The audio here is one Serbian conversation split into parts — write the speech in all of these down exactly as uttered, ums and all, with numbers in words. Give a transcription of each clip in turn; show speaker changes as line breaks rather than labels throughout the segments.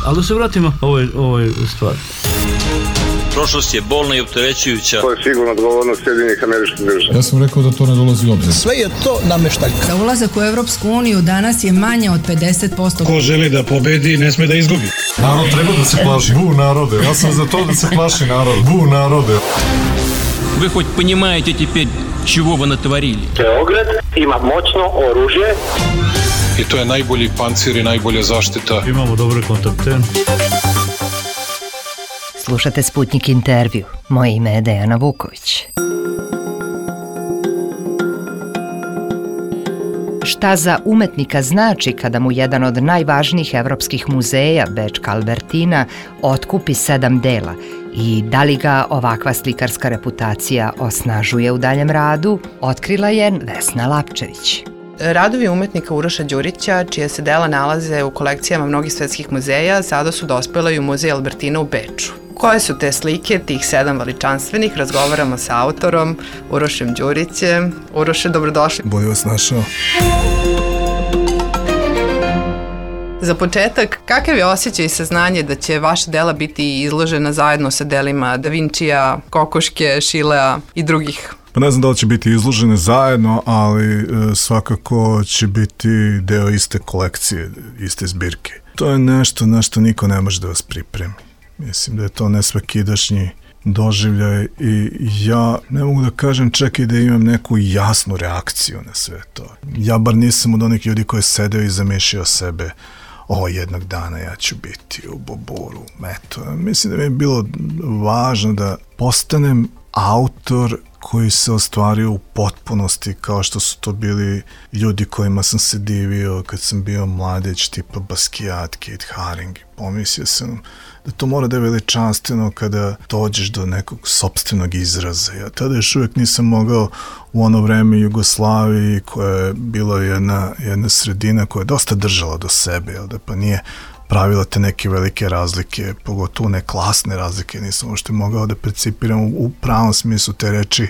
Ali da se vratimo ovoj, ovoj stvari.
Prošlost je bolna i opterećujuća.
To je sigurno odgovornost Sjedinjenih Američkih Država.
Ja sam rekao da to ne dolazi u obzir.
Sve je to nameštaljka.
Za ulazak u Evropsku uniju danas je manje od pedeset posto.
Ko želi da pobedi, ne sme da izgubi.
Narod treba da se plaši. Bu narode. Ja sam za to da se plaši narod. Bu narode.
Вы хоть понимаете теперь, чего вы натворили?
Beograd ima moćno oružje.
I to je najbolji pancir i najbolja zaštita.
Imamo dobre kontakte.
Slušate Sputnik intervju. Moje ime je Dejana Vuković. Šta za umetnika znači kada mu jedan od najvažnijih evropskih muzeja, Bečka Albertina, otkupi sedam dela i da li ga ovakva slikarska reputacija osnažuje u daljem radu, otkrila je Vesna Lapčević.
Radovi umetnika Uroša Đurića, čije se dela nalaze u kolekcijama mnogih svetskih muzeja, sada su dospela i u muzej Albertina u Beču. Koje su te slike, tih sedam veličanstvenih, razgovaramo sa autorom Urošem Đurićem. Uroše, dobrodošli.
Bolje vas našao.
Za početak, kakav je osjećaj i saznanje da će vaša dela biti izložena zajedno sa delima Da Vincija, Kokoške, Šilea i drugih?
Pa ne znam da li će biti izložene zajedno, ali e, svakako će biti deo iste kolekcije, iste zbirke. To je nešto na što niko ne može da vas pripremi. Mislim da je to nesvakidašnji doživljaj i ja ne mogu da kažem čak i da imam neku jasnu reakciju na sve to. Ja bar nisam od onih ljudi koji je sedeo i zamišljao sebe, o, jednog dana ja ću biti u Boboru, eto. Mislim da mi je bilo važno da postanem autor koji se ostvario u potpunosti, kao što su to bili ljudi kojima sam se divio kad sam bio mladeć, tipa Basquiat, Kate Haring. Pomislio sam da to mora da je veličanstveno kada dođeš do nekog sopstvenog izraza. Ja tada još uvijek nisam mogao u ono vreme Jugoslaviji, koja je bila jedna, jedna sredina koja je dosta držala do sebe, jel da, pa nije pravila te neke velike razlike, pogotovo ne klasne razlike, nisam uopšte mogao da percipiram u, u pravom smislu te reči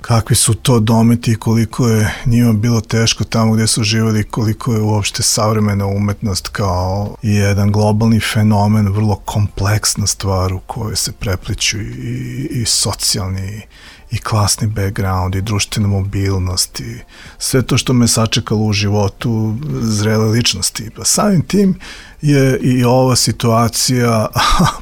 kakvi su to dometi i koliko je njima bilo teško tamo gdje su živjeli, koliko je uopšte savremena umetnost kao jedan globalni fenomen, vrlo kompleksna stvar u kojoj se prepliću i, i socijalni i klasni background i društvena mobilnost i sve to što me sačekalo u životu zrele ličnosti. Pa samim tim je i ova situacija,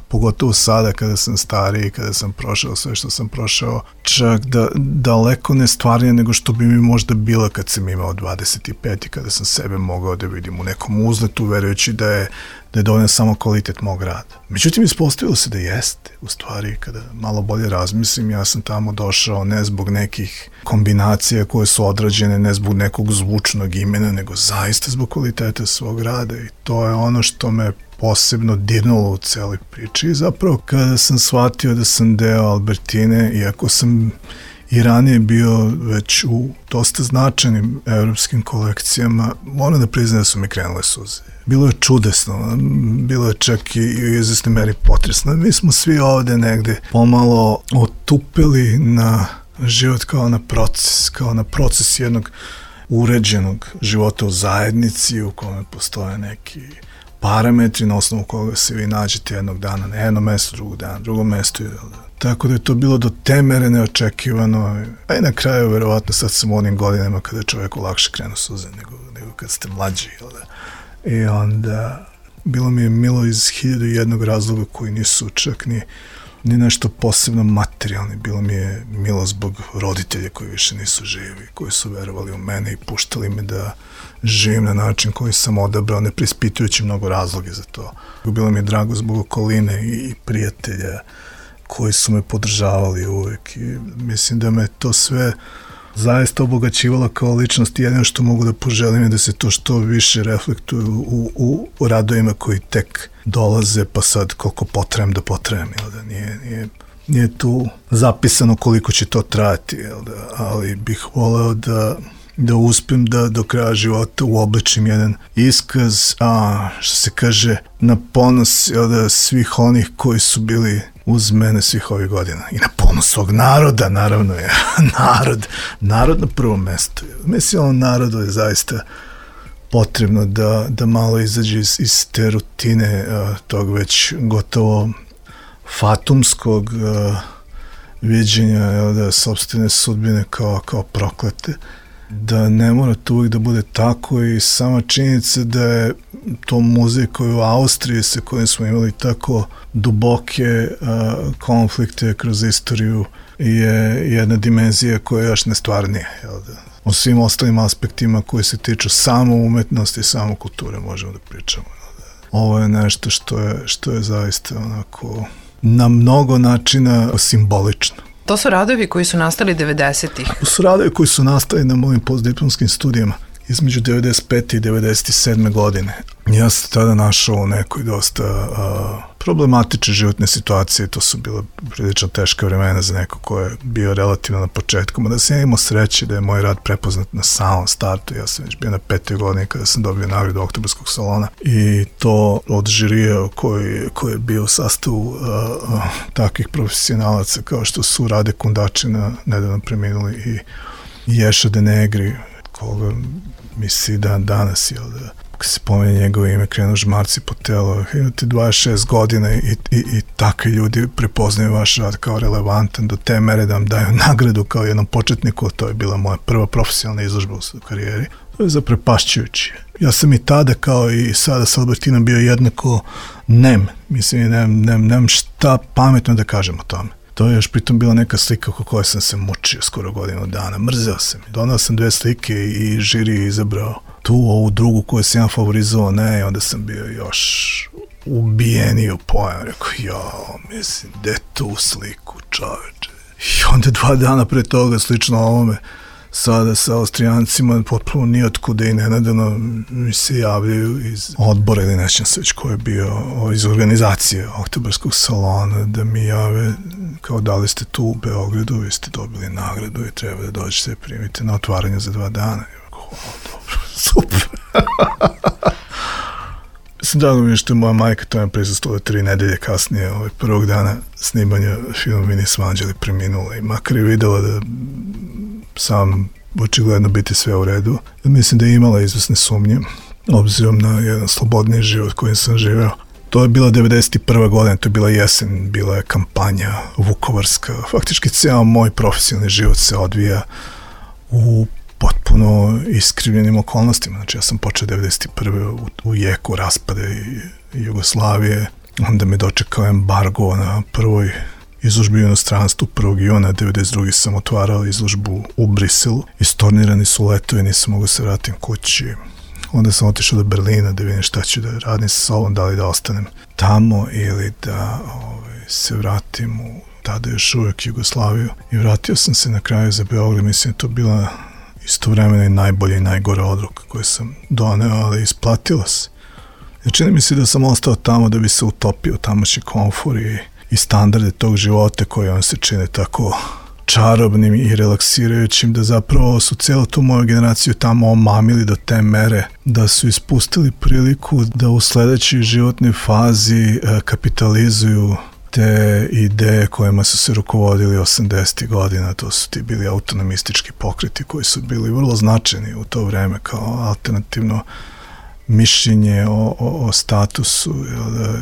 pogotovo sada kada sam stariji, kada sam prošao sve što sam prošao, čak da, daleko nestvarnija nego što bi mi možda bila kad sam imao dvadeset pet i kada sam sebe mogao da vidim u nekom uzletu, verujući da je da je dovoljno samo kvalitet mog rada. Međutim, ispostavilo se da jeste. U stvari, kada malo bolje razmislim, ja sam tamo došao ne zbog nekih kombinacija koje su odrađene, ne zbog nekog zvučnog imena, nego zaista zbog kvaliteta svog rada i to je ono što me posebno dirnulo u celoj priči. I zapravo, kada sam shvatio da sam deo Albertine, iako sam i ranije bio već u dosta značajnim evropskim kolekcijama, moram da priznam da su mi krenule suze. Bilo je čudesno, bilo je čak i u izvesnoj meri potresno. Mi smo svi ovde negde pomalo otupili na život kao na proces, kao na proces jednog uređenog života u zajednici u kome postoje neki parametri na osnovu koga se vi nađete jednog dana na jednom mestu, drugog dana, drugom mestu. Tako da je to bilo do te mere neočekivano. A i na kraju, verovatno, sad sam u onim godinama kada čovjeku lakše krenu suze nego, nego kad ste mlađi. I onda bilo mi je milo iz hiljadu jednog razloga koji nisu čak ni, ni nešto posebno materijalni. Bilo mi je milo zbog roditelja koji više nisu živi, koji su verovali u mene i puštali me da živim na način koji sam odabrao, ne preispitujući mnogo razloge za to. Bilo mi je drago zbog okoline i prijatelja koji su me podržavali uvek i mislim da me to sve zaista obogaćivalo kao ličnost i jedino što mogu da poželim je da se to što više reflektuju u, u radovima koji tek dolaze, pa sad koliko potrebujem da potrebujem, jel da nije, nije, nije tu zapisano koliko će to trajati, jel da, ali bih voleo da da uspem da do kraja života uobličim jedan iskaz, a što se kaže, na ponos, jel da, svih onih koji su bili uz mene svih ovih godina. I na ponos svog naroda, naravno je. Narod, narod na prvom mestu. Mislim, on narodu je zaista potrebno da, da malo izađe iz, iz te rutine uh, tog već gotovo fatumskog uh, viđenja, jel da, sopstvene sudbine kao, kao proklete, da ne mora to uvijek da bude tako i sama činjenica da je to muzej koji u Austriji sa kojim smo imali tako duboke uh, konflikte kroz istoriju je jedna dimenzija koja je još nestvarnija, jel da. O svim ostalim aspektima koji se tiču samo umetnosti i samo kulture možemo da pričamo. Jel da. Ovo je nešto što je, što je zaista onako na mnogo načina simbolično.
To su radovi koji su nastali devedesetih.
To su radovi koji su nastali na mojim postdiplomskim studijama između devedeset pete i devedeset sedme godine. Ja sam tada našao u nekoj dosta uh, problematične životne situacije, to su bila prilično teška vremena za neko ko je bio relativno na početku, da sam ja imao sreće da je moj rad prepoznat na samom startu. Ja sam već bio na petoj godini kada sam dobio nagradu Oktobarskog salona i to od žirija koji, koji je bio u sastavu uh, uh, takvih profesionalaca kao što su Rade Kundačina, nedavno preminuli, i Ješa de Negri, koga misli dan danas, jel da, kad se pomenje njegovo ime, krenu žmarci po telo. Imate dvadeset šest godina i, i, i takvi ljudi prepoznaju vaš rad kao relevantan do te mere da vam daju nagradu kao jednom početniku. To je bila moja prva profesionalna izložba u karijeri. To je zaprepašćujuće. Ja sam i tada, kao i sada sa Albertinom, bio jednako nem. Mislim, nemam, nemam, nemam šta pametno da kažem o tome. To je još pritom bila neka slika oko koje sam se mučio skoro godinu dana. Mrzeo sam. Donao sam dve slike i žiri je izabrao tu, ovu drugu koju sam ja favorizovao, ne, i onda sam bio još ubijeniji u pojam. Rekao, jao, mislim, gde tu sliku, čoveče? I onda dva dana pre toga, slično ovome, sada sa Austrijancima, potpuno nijotkuda i nenadano mi se javljaju iz odbora ili nećem se već ko je bio iz organizacije Oktobarskog salona, da mi jave kao da li ste tu u Beogradu, vi ste dobili nagradu i treba da dođete i primite na otvaranje za dva dana. Hvala, dobro, super. Mislim, drago mi je što je moja majka tome prisustila tri nedelje kasnije, ovaj, prvog dana snimanja filma Mi nismo anđeli preminula, i makar je videla da sam očigledno biti sve u redu. Mislim da je imala izvesne sumnje, obzirom na jedan slobodniji život kojim sam živeo. To je bila devedeset prva godina, to je bila jesen, bila je kampanja vukovarska. Faktički cijel moj profesionalni život se odvija u potpuno iskrivljenim okolnostima. Znači, ja sam počeo devedeset prve u, u jeku raspade Jugoslavije, onda me dočekao embargo na prvoj izložbi u inostranstvu. prvog juna devedeset druge sam otvarao izložbu u Briselu. Istornirani su letovi, nisam mogao se vratim kući. Onda sam otišao do Berlina da vidim šta ću da radim sa sobom, da li da ostanem tamo ili da ovaj, se vratim u tada još uvijek Jugoslaviju. I vratio sam se na kraju za Beograd. Mislim da to bila istovremeno i najbolja i najgora odluka koju sam doneo, ali isplatila se. Jer čini mi se da sam ostao tamo da bi se utopio tamošnji komfor i, i standarde tog života koji on se čine tako čarobnim i relaksirajućim, da zapravo su cijelu tu moju generaciju tamo omamili do te mere da su ispustili priliku da u sledećoj životnoj fazi kapitalizuju te ideje kojima su se rukovodili osamdesetih godina. To su ti bili autonomistički pokreti koji su bili vrlo značajni u to vreme kao alternativno mišljenje o, o, o statusu, da,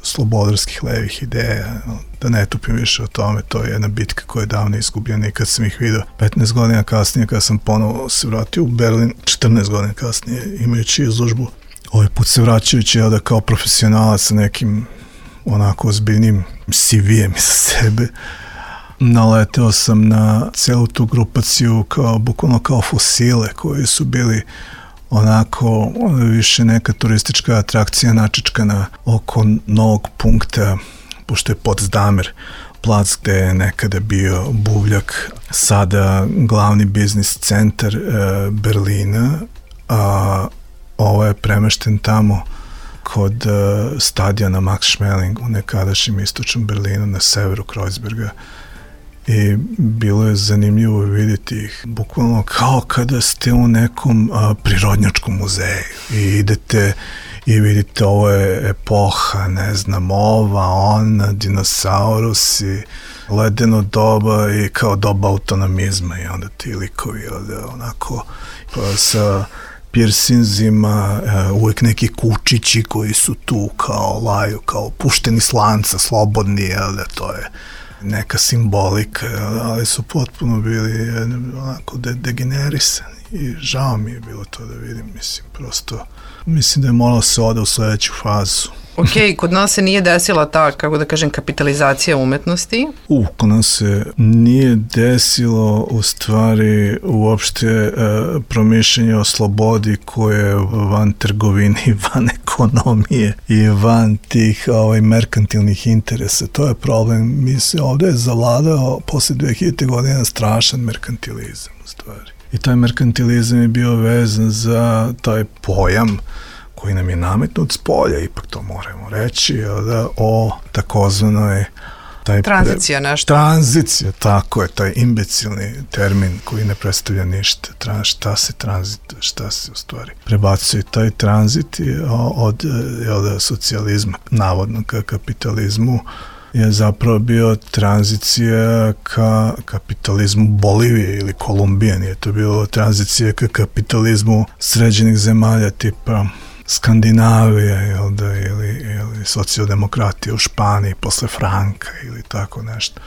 slobodarskih levih ideja. Da ne tupim više o tome, to je jedna bitka koja je davno izgubljena i kad sam ih vidio petnaest godina kasnije, kad sam ponovo se vratio u Berlin, četrnaest godina kasnije, imajući izložbu, ovaj put se vraćajući ja da kao profesionalac sa nekim onako ozbiljnim C V-em iza sebe, naleteo sam na celu tu grupaciju kao, bukvalno kao fosile koji su bili onako više neka turistička atrakcija načičkana oko novog punkta, pošto je Potsdamer plac gde je nekada bio buvljak, sada glavni biznis centar e, Berlina, a ovo je premešten tamo kod e, stadiona Max Schmeling u nekadašnjem istočnom Berlinu na severu Kreuzberga. I bilo je zanimljivo vidjeti ih, bukvalno kao kada ste u nekom a, prirodnjačkom muzeju i idete i vidite ovo je epoha, ne znam, ova, ona, dinosaurusi, ledeno doba i kao doba autonomizma i onda ti likovi ovde, onako pa, sa pirsinzima, uvijek neki kučići koji su tu kao laju, kao pušteni s lanca, slobodni, jel da, to je neka simbolika, ali su potpuno bili onako de, degenerisani i žao mi je bilo to da vidim, mislim, prosto mislim da je moralo se ode u sledeću fazu.
Ok, kod nas se nije desila ta, kako da kažem, kapitalizacija umetnosti?
U, kod nas se nije desilo u stvari uopšte e, promišljanje o slobodi koje je van trgovine i van ekonomije i van tih ovaj, merkantilnih interesa. To je problem. Mi se ovde je zavladao posle dve hiljadite godine strašan merkantilizam u stvari. I taj merkantilizam je bio vezan za taj pojam koji nam je nametnut s polja, ipak to moramo reći, da, o takozvanoj taj
tranzicija pre... nešto.
Tranzicija, tako je, taj imbecilni termin koji ne predstavlja ništa. Tra, šta se tranzit, šta se u stvari prebacuje. Taj tranzit je od, od socijalizma, navodno ka kapitalizmu, je zapravo bio tranzicija ka kapitalizmu Bolivije ili Kolumbije. Nije to bilo tranzicija ka kapitalizmu sređenih zemalja tipa Skandinavija, jel da, ili, ili socijaldemokratija u Španiji posle Franka ili tako nešto.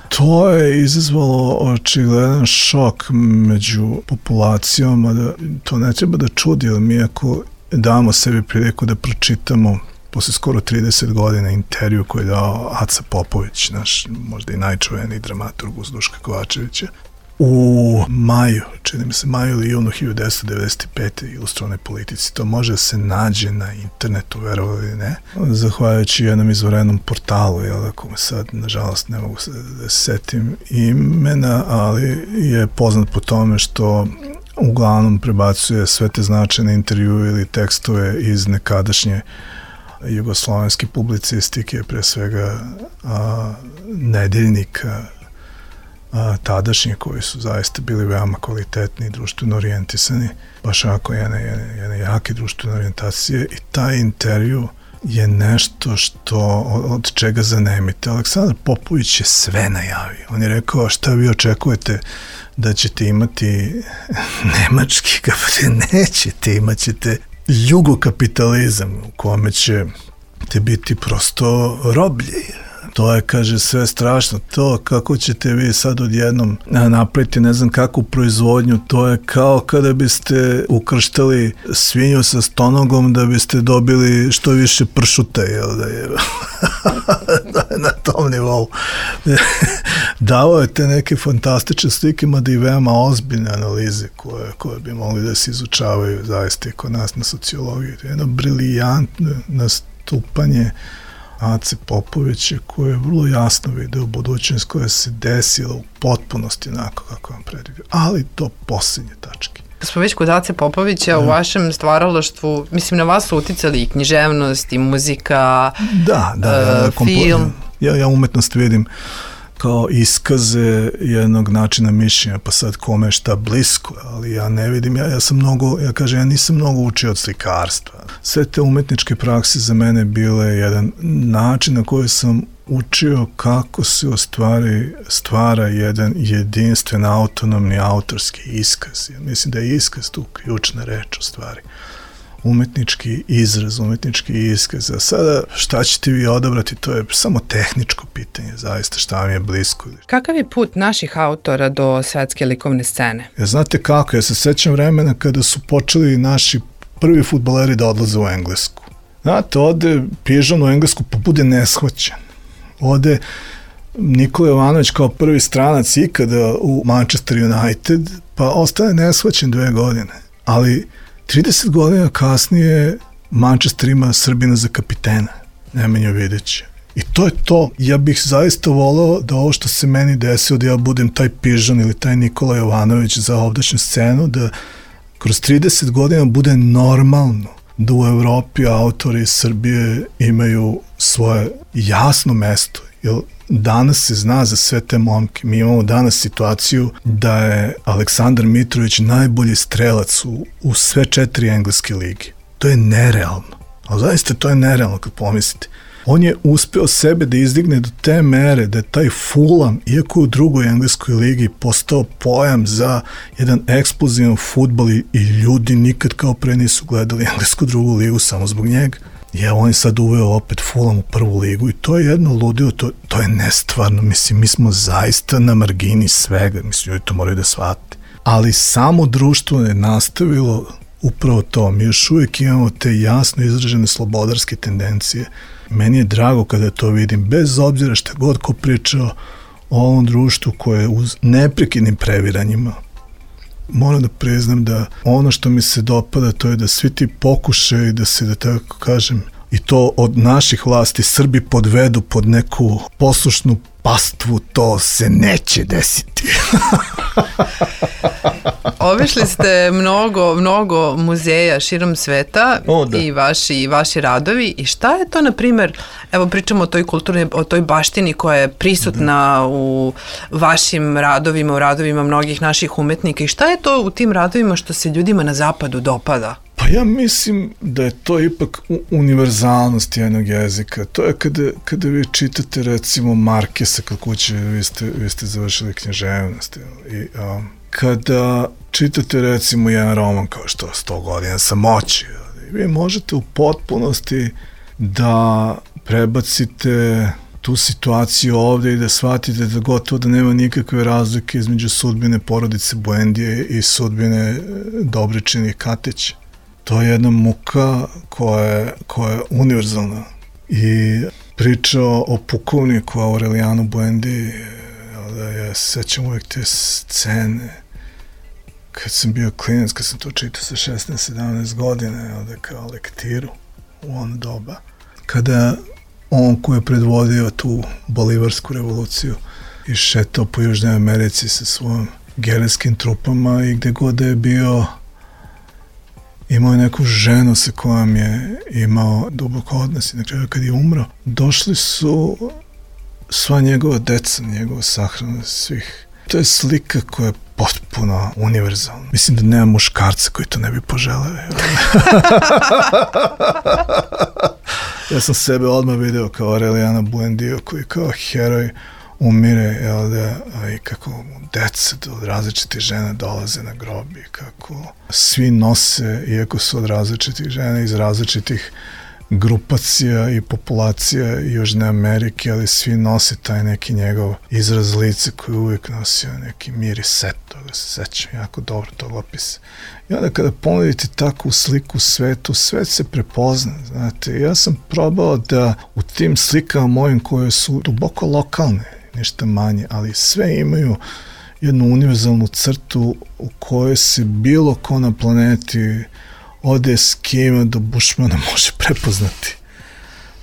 To je izazvalo očigledan šok među populacijom, a da to ne treba da čudi, jer mi ako damo sebi priliku da pročitamo posle skoro trideset godina intervju koji je dao Aca Popović, naš možda i najčuveniji dramaturg uz Duška Kovačevića, u maju, čini mi se maju ili junu hiljadu devetsto devedeset pete ilustrovane politici. To može da se nađe na internetu, verovali ili ne, zahvaljujući jednom izvorenom portalu, jel, ako me sad, nažalost, ne mogu se da se setim imena, ali je poznat po tome što uglavnom prebacuje sve te značajne intervjue ili tekstove iz nekadašnje jugoslovenske publicistike, pre svega a, nedeljnika a, tadašnje, koji su zaista bili veoma kvalitetni i društveno orijentisani, baš ako jedne, jedne, jedne jake društvene orijentacije, i taj intervju je nešto što od čega zanemite. Aleksandar Popović je sve najavio. On je rekao, šta vi očekujete da ćete imati nemački kapitalizam? Nećete, imat ćete jugokapitalizam u kome ćete biti prosto roblje. To je, kaže, sve strašno. To kako ćete vi sad odjednom napraviti ne znam kakvu proizvodnju, to je kao kada biste ukrštali svinju sa stonogom da biste dobili što više pršuta, jel da je na tom nivou. Davao je te neke fantastične slike, mada i veoma ozbiljne analize koje, koje bi mogli da se izučavaju zaista i kod nas na sociologiji. Jedno briljantno nastupanje Ace Popovića, koje je vrlo jasno video budućnost koja se desila u potpunosti onako kako vam predvidio, ali do posljednje tačke.
Smo već kod Ace Popovića, da. U vašem stvaralaštvu, mislim, na vas su uticali i književnost, i muzika,
da, da, ja,
uh, film.
Ja, ja umetnost vidim kao iskaze jednog načina mišljenja, pa sad kome šta blisko, ali ja ne vidim, ja, ja sam mnogo, ja kažem, ja nisam mnogo učio od slikarstva. Sve te umetničke prakse za mene bile jedan način na koji sam učio kako se u stvari stvara jedan jedinstven autonomni autorski iskaz. Ja mislim da je iskaz tu ključna reč u stvari. Umetnički izraz, umetnički iskaz. A sada šta ćete vi odabrati, to je samo tehničko pitanje, zaista šta vam je blisko.
Kakav je put naših autora do svetske likovne scene?
Ja, znate kako, ja se sećam vremena kada su počeli naši prvi fudbaleri da odlaze u Englesku. Znate, ode Pižon u Englesku pa bude neshvaćen. Ode Nikola Jovanović kao prvi stranac ikada u Manchester United, pa ostane neshvaćen dve godine. Ali trideset godina kasnije Manchester ima Srbina za kapitena, Nemanju Vidića. I to je to. Ja bih zaista volao da ovo što se meni desilo, da ja budem taj Pižon ili taj Nikola Jovanović za ovdašnju scenu, da kroz trideset godina bude normalno da u Evropi autori iz Srbije imaju svoje jasno mesto. Jer danas se zna za sve te momke. Mi imamo danas situaciju da je Aleksandar Mitrović najbolji strelac u, u sve četiri engleske lige. To je nerealno. Ali zaista to je nerealno kad pomislite. On je uspeo sebe da izdigne do te mere da je taj Fulham, iako u drugoj engleskoj ligi, postao pojam za jedan eksplozivan fudbal i, i ljudi nikad kao pre nisu gledali englesku drugu ligu samo zbog njega. Je, on je sad uveo opet Fulham u prvu ligu i to je jedno ludilo, to, to je nestvarno, mislim, mi smo zaista na margini svega, mislim, ljudi to moraju da shvate. Ali samo društvo je nastavilo upravo to, mi još uvijek imamo te jasno izražene slobodarske tendencije. Meni je drago kada to vidim, bez obzira šta god ko pričao o ovom društvu koje je uz neprekidnim previranjima. Moram da priznam da ono što mi se dopada to je da svi ti pokušaju da se, da tako kažem, i to od naših vlasti Srbi podvedu pod neku poslušnu pastvu, to se neće desiti.
Obišli ste mnogo, mnogo muzeja širom sveta o, i vaši, vaši radovi. I šta je to, na primjer, evo pričamo o toj kulturnoj, o toj baštini koja je prisutna da. u vašim radovima, u radovima mnogih naših umetnika. I šta je to u tim radovima što se ljudima na zapadu dopada?
Pa ja mislim da je to ipak univerzalnost jednog jezika. To je kada, kada vi čitate recimo Markesa kod kuće, vi ste, vi ste završili književnost. I um, kada čitate recimo jedan roman kao što sto godina samoći, vi možete u potpunosti da prebacite tu situaciju ovde i da shvatite da gotovo da nema nikakve razlike između sudbine porodice Buendije i sudbine Dobričina i Katića. To je jedna muka koja je, koja je univerzalna. I priča o pukovniku Aurelijanu Buendiji, da ja se sećam uvijek te scene kad sam bio klinac, kad sam to čitao sa šesnaest sedamnaest godine, da kao lektiru u ono doba. Kada on koji je predvodio tu bolivarsku revoluciju i šetao po Južnoj Americi sa svojim gerilskim trupama i gde god da je bio, imao je neku ženu sa kojom je imao duboko odnos i na kraju kad je umro, došli su sva njegova deca, njegova sahrana svih. To je slika koja je potpuno univerzalna. Mislim da nema muškarca koji to ne bi poželeo. Ja sam sebe odmah video kao Aurelijana Buendiju koji kao heroj umire, jel da, i kako deca od različitih žena dolaze na grob i kako svi nose, iako su od različitih žena iz različitih grupacija i populacija Južne Amerike, ali svi nose taj neki njegov izraz lice koji uvijek nosio neki mir i set, toga se sećam jako dobro tog opisa. I onda kada ponudite takvu sliku u svetu, svet se prepozna, znate, ja sam probao da u tim slikama mojim koje su duboko lokalne, ništa manje, ali sve imaju jednu univerzalnu crtu u kojoj se bilo ko na planeti od Eskima do Bušmana može prepoznati.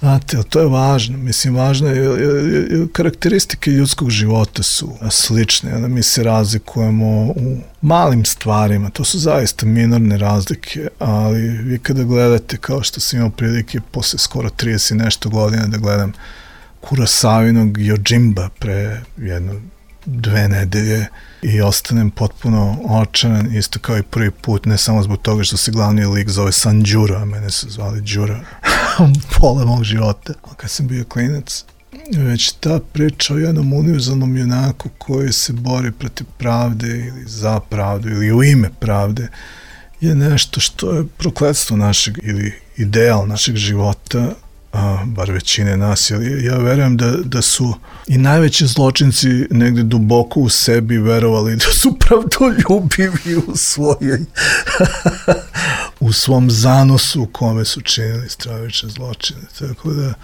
Znate, to je važno. Mislim, važno je, je, karakteristike ljudskog života su slične, onda mi se razlikujemo u malim stvarima, to su zaista minorne razlike, ali vi kada gledate, kao što sam imao prilike posle skoro trideset nešto godina da gledam Kurosavinog Yojimba pre jedno dve nedelje i ostanem potpuno očaran, isto kao i prvi put, ne samo zbog toga što se glavni lik zove Sanđura, a mene su zvali Đura, pola mog života. A kad sam bio klinac, već ta priča o jednom univerzalnom junaku koji se bori protiv pravde ili za pravdu ili u ime pravde je nešto što je prokletstvo našeg ili ideal našeg života, a, bar većine nas, ali ja verujem da, da su i najveći zločinci negde duboko u sebi verovali da su pravdoljubivi u svojoj u svom zanosu u kome su činili stravične zločine. Tako da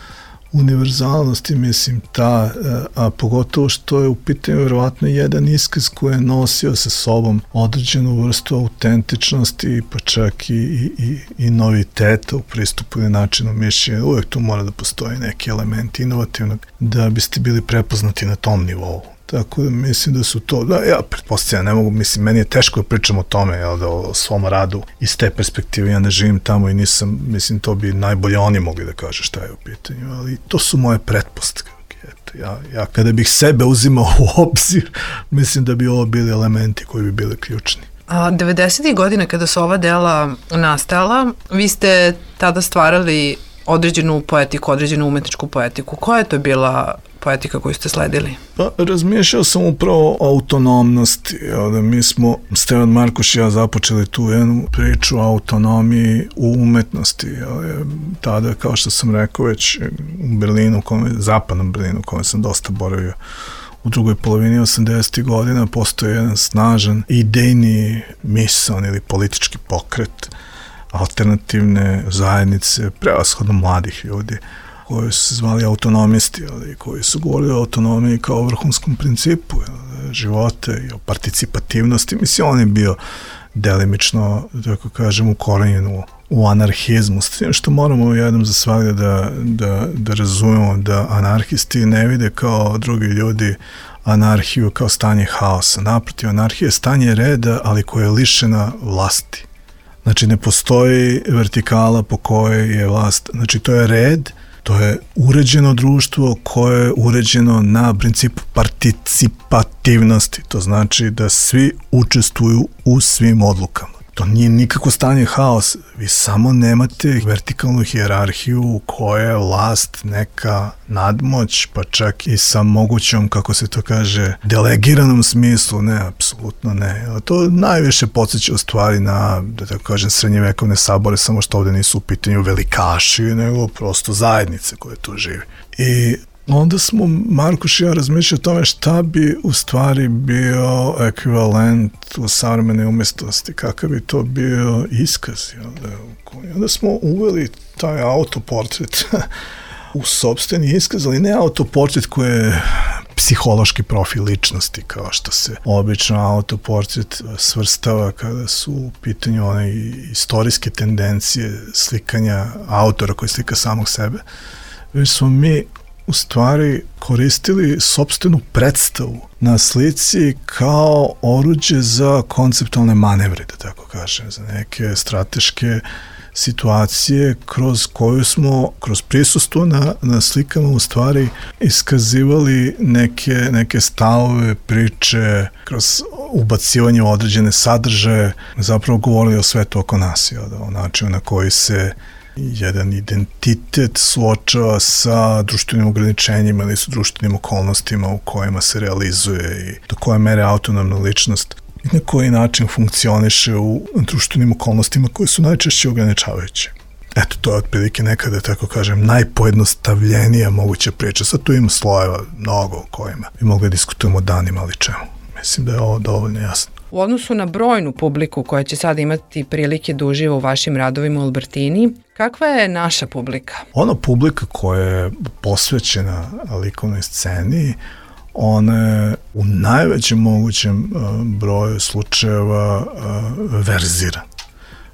univerzalnost i mislim ta, a pogotovo što je u pitanju verovatno jedan iskaz koji je nosio sa sobom određenu vrstu autentičnosti pa čak i, i, i noviteta u pristupu ili načinu mišljenja. Uvijek tu mora da postoji neki element inovativnog da biste bili prepoznati na tom nivou. Tako da mislim da su to, da ja pretpostavljam, ne mogu, mislim, meni je teško da pričam o tome, jel, da o svom radu iz te perspektive, ja ne živim tamo i nisam, mislim, to bi najbolje oni mogli da kažu šta je u pitanju, ali to su moje pretpostavke. Eto, ja, ja kada bih sebe uzimao u obzir, mislim da bi ovo bili elementi koji bi bili ključni.
A devedesetih godina kada su ova dela nastala, vi ste tada stvarali određenu poetiku, određenu umetničku poetiku. Koja je to bila poetika koju ste sledili?
Pa, razmišljao sam upravo o autonomnosti. Da mi smo, Stevan Markoš i ja, započeli tu jednu priču o autonomiji u umetnosti. Tada, kao što sam rekao, već u Berlinu, kome, zapadnom Berlinu, u kome sam dosta boravio, u drugoj polovini osamdesetih godina postoji jedan snažan idejni misaon ili politički pokret alternativne zajednice, prevashodno mladih ljudi, koji su se zvali autonomisti, ali, koji su govorili o autonomiji kao o vrhunskom principu života i o participativnosti. Mislim, on je bio delimično, tako kažem, ukorenjen u, u anarhizmu, s tim što moramo jednom za svakda da, da, da razumemo da anarhisti ne vide kao drugi ljudi anarhiju kao stanje haosa. Naprotiv, anarhija je stanje reda, ali koja je lišena vlasti. Znači, ne postoji vertikala po kojoj je vlast. Znači, to je red, to je uređeno društvo koje je uređeno na principu participativnosti. To znači da svi učestvuju u svim odlukama. To nije nikako stanje haosa. Vi samo nemate vertikalnu hijerarhiju u kojoj je vlast neka nadmoć, pa čak i sa mogućom, kako se to kaže, delegiranom smislu. Ne, apsolutno ne. To najviše podsjeća u stvari na, da tako kažem, srednjevekovne sabore, samo što ovde nisu u pitanju velikaši, nego prosto zajednice koje tu živi. I onda smo, Markoš i ja, razmišljali o tome šta bi u stvari bio ekvivalent u savremenoj umjetnosti, kakav bi to bio iskaz. I onda smo uveli taj autoportret u sopstveni iskaz, ali ne autoportret koji je psihološki profil ličnosti, kao što se obično autoportret svrstava kada su u pitanju one istorijske tendencije slikanja autora koji slika samog sebe. Već smo mi u stvari koristili sopstvenu predstavu na slici kao oruđe za konceptualne manevre, da tako kažem, za neke strateške situacije kroz koju smo, kroz prisustvo na, na slikama u stvari iskazivali neke, neke stavove, priče, kroz ubacivanje u određene sadržaje, zapravo govorili o svetu oko nas, jel, o načinu na koji se jedan identitet suočava sa društvenim ograničenjima ili sa društvenim okolnostima u kojima se realizuje i do koje mere autonomna ličnost i na koji način funkcioniše u društvenim okolnostima koje su najčešće ograničavajuće. Eto, to je otprilike nekada, tako kažem, najpojednostavljenija moguća priča. Sad tu ima slojeva mnogo o kojima bi mogli diskutujemo danima, ali čemu. Mislim da je ovo dovoljno jasno.
U odnosu na brojnu publiku koja će sada imati prilike da uživa u vašim radovima u Albertini, kakva je naša publika?
Ona publika koja je posvećena likovnoj sceni, ona je u najvećem mogućem broju slučajeva verzira.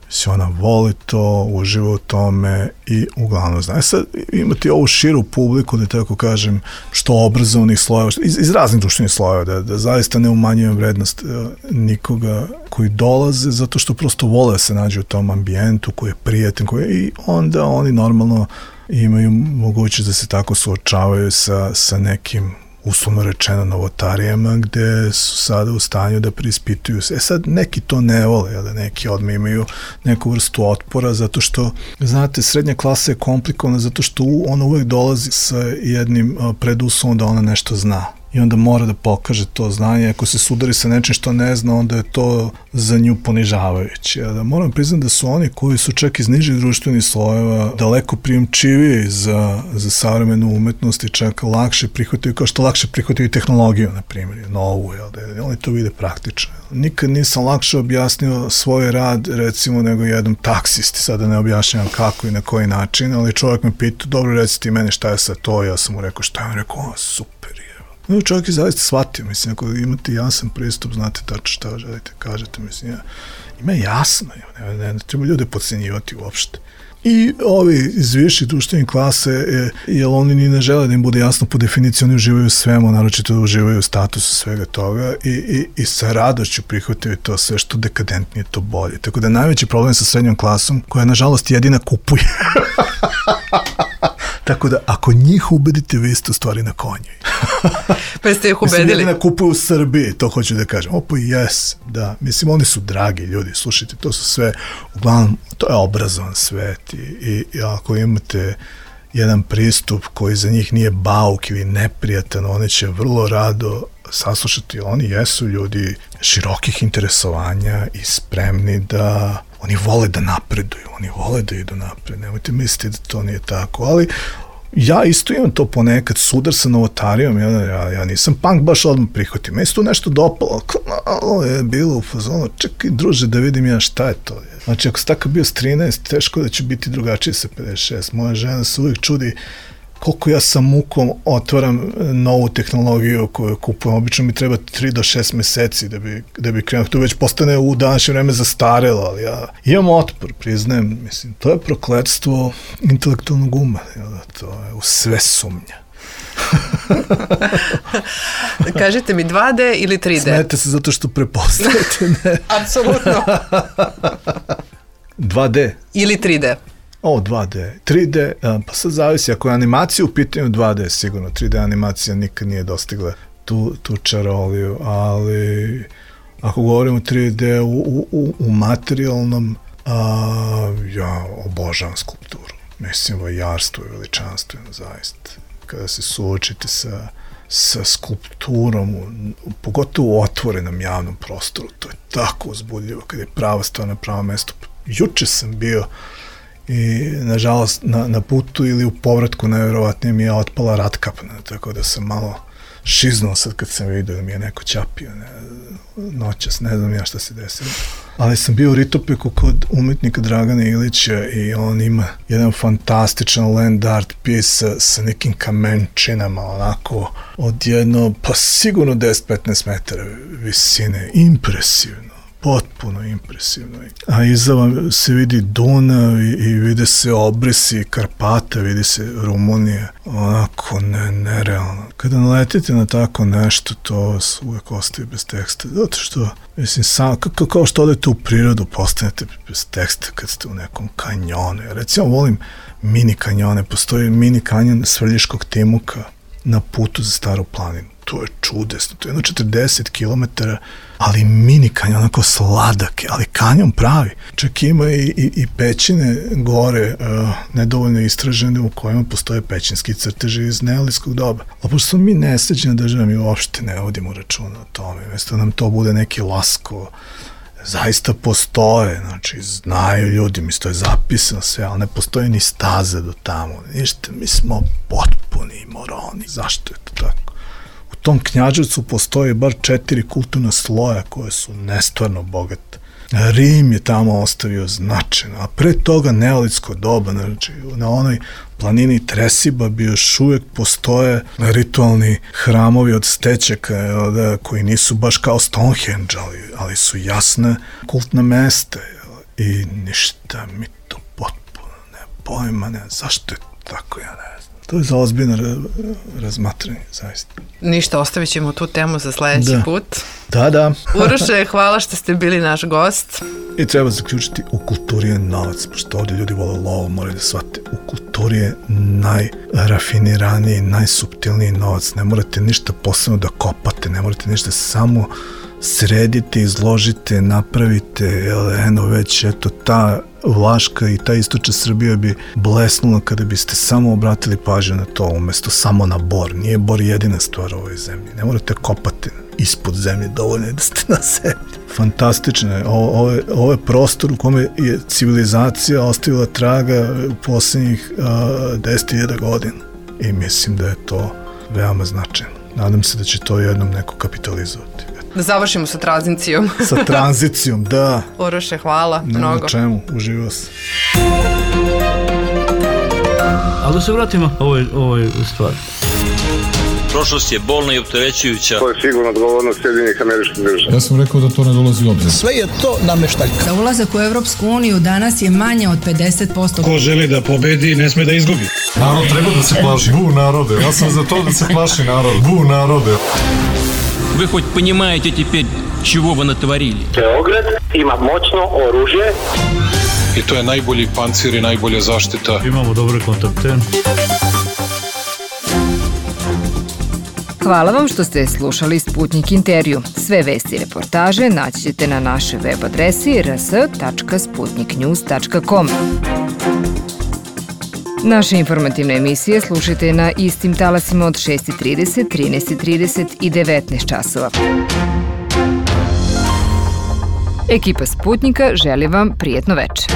Mislim, ona voli to, uživa u tome i uglavnom zna. E sad, imati ovu širu publiku, da tako kažem, što obrazovnih slojeva, iz, iz raznih društvenih slojeva, da, da zaista ne umanjujem vrednost uh, nikoga koji dolaze, zato što prosto vole da se nađe u tom ambijentu koji je prijatan, koji je, i onda oni normalno imaju mogućnost da se tako suočavaju sa, sa nekim uslovno rečeno novotarijama, gde su sada u stanju da preispituju se. E sad, neki to ne vole, da neki odmah imaju neku vrstu otpora, zato što, znate, srednja klasa je komplikovana, zato što ona uvek dolazi sa jednim preduslovom da ona nešto zna. I onda mora da pokaže to znanje. Ako se sudari sa nečim što ne zna, onda je to za nju ponižavajuće. Da moram priznati da su oni koji su čak iz nižih društvenih slojeva daleko prijemčiviji za, za savremenu umetnost i čak lakše prihvataju, kao što lakše prihvataju tehnologiju, na primjer, novu, jel, da oni to vide praktično. Nikad nisam lakše objasnio svoj rad, recimo, nego jednom taksisti, sada ne objašnjavam kako i na koji način, ali čovjek me pita, dobro, reci ti meni šta je sad to, ja sam mu rekao šta je, on rekao, o, super je. No, čovjek je zaista shvatio, mislim, ako imate jasan pristup, znate tačno šta želite, kažete, mislim, ja, ima jasno, ne, ne, ne treba ljude podcenjivati uopšte. I ovi iz viših društvenih klase, je, jer oni ni ne žele da im bude jasno po definiciji, oni uživaju u svemu, naročito da uživaju u statusu svega toga i, i, i sa radošću prihvataju to sve što dekadentnije, to bolje. Tako da najveći problem sa srednjom klasom, koja nažalost jedina kupuje. Tako da, ako njih ubedite, vi ste u stvari na konju.
Pa ste ih
Mislim,
ubedili?
jedina kupuju u Srbiji, to hoću da kažem. Opa, jes, da. Mislim, oni su dragi ljudi, slušajte, to su sve, uglavnom, to je obrazovan svet i, i, i ako imate jedan pristup koji za njih nije bauk ili neprijatan, oni će vrlo rado saslušati. Oni jesu ljudi širokih interesovanja i spremni da, oni vole da napreduju, oni vole da idu napred, nemojte misliti da to nije tako, ali ja isto imam to ponekad, sudar sa novotarijom, ja, ja, ja nisam punk baš odmah prihvatio, meni se tu nešto dopalo, malo je bilo u fazonu, čekaj druže da vidim ja šta je to. Znači ako si takav bio s trinaest, teško da će biti drugačije sa pedeset šest, moja žena se uvijek čudi koliko ja sa mukom otvaram novu tehnologiju koju kupujem, obično mi treba tri do šest meseci da bi, da bi krenuo, to već postane u današnje vreme zastarelo, ali ja imam otpor, priznajem, mislim, to je prokletstvo intelektualnog uma, to je u sve sumnja.
Kažite mi dva D ili tri D?
Smete se zato što prepostavite, ne?
Apsolutno.
dva D.
Ili tri D?
O, dva D. tri D, pa sad zavisi, ako je animacija u pitanju dva D, sigurno, tri D animacija nikad nije dostigla tu, tu čaroliju, ali ako govorimo tri D u, u, u materijalnom, a, ja obožavam skulpturu. Mislim, vajarstvo je veličanstveno, zaista. Kada se suočite sa, sa skulpturom, u, pogotovo u otvorenom javnom prostoru, to je tako uzbudljivo, kada je prava stvar na pravom mestu. Juče sam bio i nažalost na, na putu ili u povratku najverovatnije mi je otpala ratkapna, tako da sam malo šiznuo sad kad sam vidio da mi je neko ćapio ne, noćas, ne znam ja šta se desilo. Ali sam bio u Ritopeku kod umetnika Dragana Ilića i on ima jedan fantastičan land art piece sa, sa nekim kamenčinama, onako od jedno, pa sigurno deset do petnaest metara visine, impresivno. Potpuno impresivno. A iza vam se vidi Dunav i, i vide se obrisi Karpata, vidi se Rumunija. Onako ne, nerealno. Kada naletite na tako nešto, to vas uvek ostaje bez teksta. Zato što, mislim, sam, kao, kao što odete u prirodu, postanete bez teksta kad ste u nekom kanjonu. Ja recimo volim mini kanjone. Postoji mini kanjon Svrljiškog Timuka na putu za Staru planinu. To je čudesno, to je jedno četrdeset kilometara, ali mini kanjon, onako sladak, ali kanjon pravi. Čak ima i, i, i pećine gore, uh, nedovoljno istražene, u kojima postoje pećinski crteži iz neolitskog doba. A pošto smo mi nesređena država, mi uopšte ne vodimo računa o tome. Mesto nam to bude neki lasko, zaista postoje, znači znaju ljudi, mi to je zapisano sve, ali ne postoje ni staze do tamo, ništa, mi smo potpuni moroni. Zašto je to tako? U tom Knjaževcu postoje bar četiri kulturna sloja koje su nestvarno bogate. Rim je tamo ostavio značajno, a pre toga neolitsko doba, znači na onoj planini Tresiba bi još uvijek postoje ritualni hramovi od stećaka da, koji nisu baš kao Stonehenge, ali, ali su jasne kultna mesta i ništa mi to potpuno ne pojma, ne, zašto je tako, ja ne znam. To je za ozbiljno razmatranje, zaista.
Ništa, ostavit ćemo tu temu za sledeći
da.
put.
Da, da.
Uroše, hvala što ste bili naš gost.
I treba zaključiti, u kulturi je novac, pošto ovdje ljudi vole lovo, moraju da shvate. U kulturi je najrafiniraniji, najsuptilniji novac. Ne morate ništa posebno da kopate, ne morate ništa, samo sredite, izložite, napravite, eno već, eto, ta Vlaška i ta istočna Srbija bi blesnula kada biste samo obratili pažnju na to, umesto samo na bor. Nije bor jedina stvar u ovoj zemlji. Ne morate kopati ispod zemlje, dovoljno je da ste na zemlji. Fantastično je. Ovo, ovo, je, ovo je prostor u kome je civilizacija ostavila traga u posljednjih deset hiljada godina. I mislim da je to veoma značajno. Nadam se da će to jednom neko kapitalizovati.
Da završimo sa tranzicijom.
Sa tranzicijom, da.
Uroše, hvala
ne
mnogo.
Na čemu, uživao sam.
Ali da se vratimo ovoj, ovoj stvari.
Prošlost je bolna i opterećujuća.
To je sigurno odgovornost Sjedinjenih Američkih Država.
Ja sam rekao da to ne dolazi u obzir.
Sve je to nameštaljka. Za ulazak u Evropsku uniju danas je manje od pedeset posto.
Ko želi da pobedi, ne sme da izgubi.
Narod treba da se plaši. Bu narode. Ja sam za to da se plaši narod. Bu narode.
Вы хоть понимаете теперь, чего вы натворили?
Beograd ima moćno oružje.
I to je najbolji pancir i najbolja zaštita.
Imamo dobre kontakte.
Hvala vam što ste slušali Sputnik intervju. Sve vesti i reportaže naći ćete na našoj web adresi r s tačka sputnik news tačka com. Naše informativne emisije slušajte na istim talasima od šest i trideset, trinaest i trideset i devetnaest časova. Ekipa Sputnika želi vam prijetno večer.